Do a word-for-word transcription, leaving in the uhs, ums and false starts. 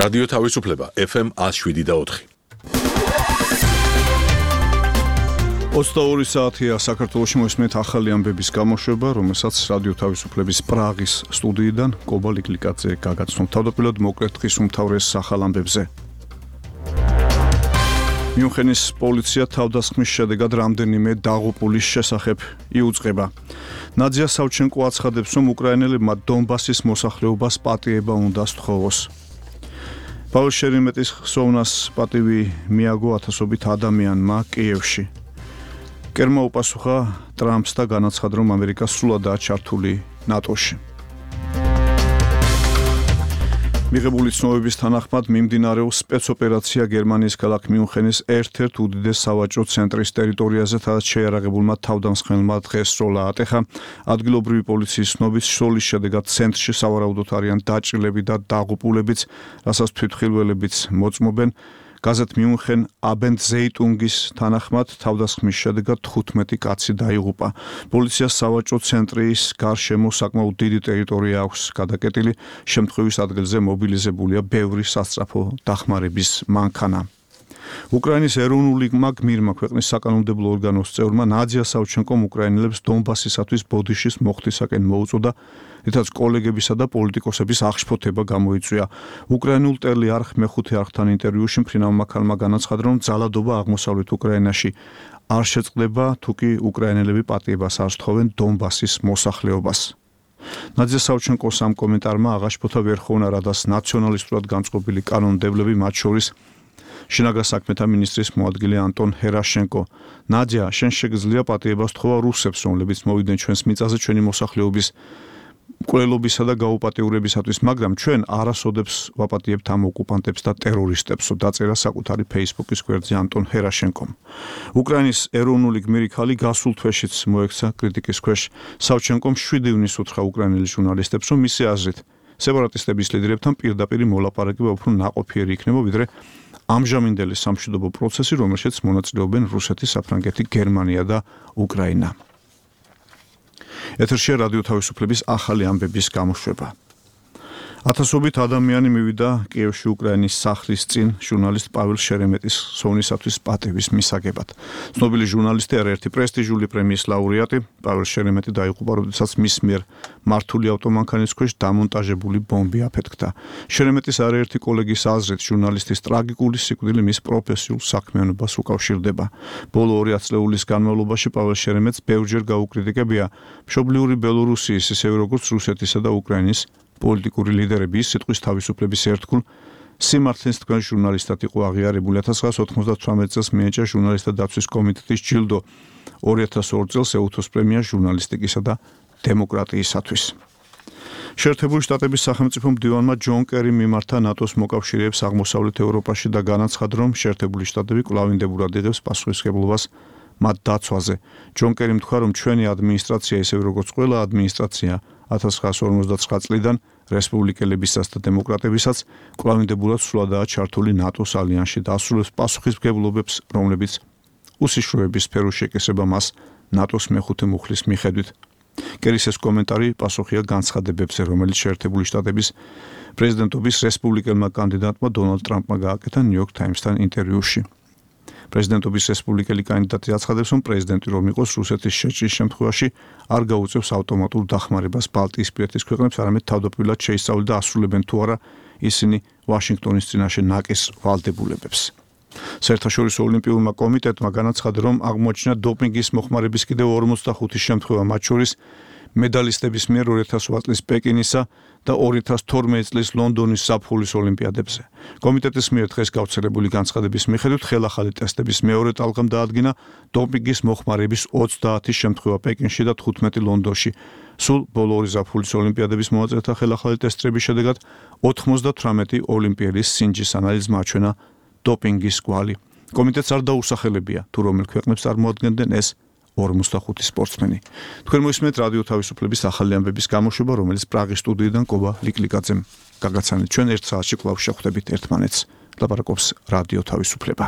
რადიო თავისუფლება ეფ ემ one oh seven და four. ოცდაორი საათია საქართველოში მოსმენთ ახალი ამბების გამოშვება, რომელსაც რადიო თავისუფლების პრაღის სტუდიიდან კობა ლიკლიკაძე გაგაცნობ. თავდაპირველად მოკლედ დღის უმთავრეს ახალ ამბებზე. მიუნხენის პოლიცია თავდასხმის შედეგად რამდენიმე დაღუპულის შესახებ იუწყება. ნადზია სავჩენკო აცხადებს, რომ უკრაინელებმა დონბასის მოსახლეობას პატიება უნდა სთხოვოს. პაულ შერიმეტის ხსოვნას პატივი მიაგო ათასობით ადამიანმა კიევში. კერმა უპასუხა ტრამპს და განაცხადა, რომ ამერიკა სრულადაა ჩართული ნატოში. მიღებული ცნობების თანახმად მიმდინარეობს სპეცოპერაცია გერმანიის ქალაქ მიუნხენის ერთ-ერთ უდიდეს სავაჭრო ცენტრის ტერიტორიაზე, სადაც შეიარაღებულმა თავდამსხმელმა დღეს სროლა ატეხა. ადგილობრივი პოლიციის ცნობით სროლის შედეგად ცენტრში სავარაუდოდ არიან დაჭრილები და დაღუპულებიც, რასაც თვითმხილველებიც მოწმობენ. გაზეთ მიუნხენ აბენდზეიტუნგის თანახმად თავდასხმის შედეგად თხუთმეტი კაცი დაიღუპა. პოლიციას სავაჭრო ცენტრის გარშემო საკმაოდ დიდი ტერიტორია აქვს გადაკეტილი. შემთხვევის ადგილზე მობილიზებულია ბევრი სასწრაფო დახმარების მანქანა. უკრაინის ეროვნულმა გმირმა ქვეყნის საკანონმდებლო ორგანოს წევრმა ნადზია სავჩენკომ უკრაინელებს დონბასისათვის ბოდიშის მოხდისაკენ მოუწოდა, რითაც კოლეგებისა და პოლიტიკოსების აღშფოთება გამოიწვია. უკრაინულ ტელი არხ მეხუთე არხთან ინტერვიუში მფრინავმა ქალმა განაცხადა, რომ ძალადობა აღმოსავლეთ უკრაინაში არ შეწყდება, თუკი უკრაინელები პატიებას არ სთხოვენ დონბასის მოსახლეობას. ნადზია სავჩენკოს ამ კომენტარმა აღაშფოთა ვერხოვნა რადას ნაციონალისტურად განწყობილი კანონმდებლები, მათ შორის შინაგან საქმეთა მინისტრის მოადგილე ანტონ ჰერაშენკო. ნადზია, შენ შეგიძლია პატიებას სთხოვა რუსებს, რომლებიც მოვიდნენ ჩვენს მიწაზე ჩვენი მოსახლეობის მკვლელობისა და გაუპატიურებისათვის, მაგრამ ჩვენ არასოდებს ვაპატიებთ ამ ოკუპანტებს და ტერორისტებსო, დაწერა საკუთარი ფეისბუქის გვერდზე ანტონ ჰერაშენკომ. უკრაინის ეროვნული გმირი ქალი გასულ თვეშიც მოექცა კრიტიკის ქვეშ. სავჩენკომ შვიდი ივნის უთხრა უკრაინელი ჟურნალისტებს, რომ მისი აზრით სეპარატისტების ლიდერებთან პირდაპირ მოლაპარაკება უფრო ნაყოფიერი იქნება, ვიდრე ამჟამინდელი სამშვიდობო პროცესი, რომელშიც მონაწილეობენ რუსეთი, საფრანგეთი, გერმანია და უკრაინა. ეთერშია რადიო თავისუფლების ახალი ამბების გამოშვება. ათასობით ადამიანი მივიდა კიევში უკრაინის სახლის წინ ჟურნალისტ პაվել შერემეტის ხსოვნისათვის პატევის მისაგებად. ცნობილი ჟურნალისტი, არაერთი პრესტიჟული პრემიის ლაურეატი, პაվել შერემეტი დაიღუპა, როდესაც მის მიერ მართული ავტომანქანის ქვეშ დამონტაჟებული ბომბი აფეთქდა. შერემეტის არაერთი კოლეგის აზრით, ჟურნალისტის ტრაგიკული სიკვდილი მის პროფესიულ საქმიანობას უკავშირდება. ბოლო ორი ათწლეულის განმავლობაში პაվել შერემეტს ბევრჯერ გაუკრიტიკებია მშობლიური ბელორუსიის, ისევე როგორც რუსეთისა და უკრაინის პოლიტიკური ლიდერები. ის სიტყვის თავისუფლების ერთგულ სიმართლეს თქვენ ჟურნალისტად იყო აღიარებული. ათას ცხრაასი ოცდათვრამეტ წელს მიენიჭა ჟურნალისტთა დაცვის კომიტეტის ჯილდო, ორი ათას ორი წელს ეუთოს პრემია ჟურნალისტიკისა და დემოკრატიისათვის. შეერთებული შტატების სახელმწიფო მდივანმა ჯონ კერიმ მიმართა ნატოს მოკავშირეებს აღმოსავლეთ ევროპაში და განაცხადა, რომ შეერთებული შტატები კვლავინდებურად იღებს პასუხისმგებლობას მათ დაცვაზე. ჯონ კერიმ თქვა, რომ ჩვენი ადმინისტრაცია, ისევე როგორც ყველა ადმინისტრაცია ათას ცხრაასი ორმოცდათვრამეტ წლიდან რესპუბლიკელებისაც და დემოკრატებისაც კვლავინდებულად სულადაა ჩართული ნატოს ალიანსში და ასრულებს პასუხისმგებლობებს, რომლებიც უსიშროების სფეროს შეკისრება მას ნატოს მეხუთე მუხლის მიხედვით. კერის ეს კომენტარი პასუხია განცხადებებზე, რომელიც შეერთებული შტატების პრეზიდენტობის რესპუბლიკელმა კანდიდატმა დონალდ ტრამპმა გააკეთა ნიუ-იორკ ტაიმსთან ინტერვიუში. პრეზიდენტობის რესპუბლიკელი კანდიდატი აცხადებს, რომ პრეზიდენტი რომ იყოს რუსეთის შეჭრის შემთხვევაში არ გაუწევს ავტომატურ დახმარებას ბალტიისპირეთის ქვეყნებს, არამედ თავდაპირველად შეისწავლენ და ასრულებენ თუ არა ისინი ვაშინგტონის წინაშე ნაკის ვალდებულებებს. საერთაშორისო ოლიმპიურმა კომიტეტმა განაცხადა, რომ აღმოაჩინა დოპინგის მოხმარების კიდევ ორმოცდახუთი შემთხვევა, მათ შორის მედალისტების მიერ ორი ათას ოთხ წლის პეკინისა და ორი ათას თორმეტ წლის ლონდონის ზაფხულის ოლიმპიადებზე. კომიტეტის მიერ დღეს გავრცელებული განცხადების მიხედვით ხელახალი ტესტების მეორე ტალღამ დაადგინა დოპინგის მოხმარების ოცდაათი შემთხვევა პეკინში და თხუთმეტი ლონდონში. სულ ბოლო ორი ზაფხულის ოლიმპიადების მოწესრიგთა ხელახალი ტესტების შედეგად ოთხმოცდათვრამეტი ოლიმპიელის სინჯის ანალიზმა აჩვენა დოპინგის კვალი. კომიტეტს არ დაუსახელებია, თუ რომელ ქვეყნებს წარმოადგენდნენ ეს ორმოცდახუთი სპორტსმენი. თქვენ მოისმენთ რადიო თავისუფლების ახალი ამბების გამოშვება, რომელიც პრაღის სტუდიიდან კობა ლიკლიკაძემ გაგაცანეთ. ჩვენ ერთ საათში კვლავ შევხვდებით ერთმანეთს. ლაპარაკობს რადიო თავისუფლება.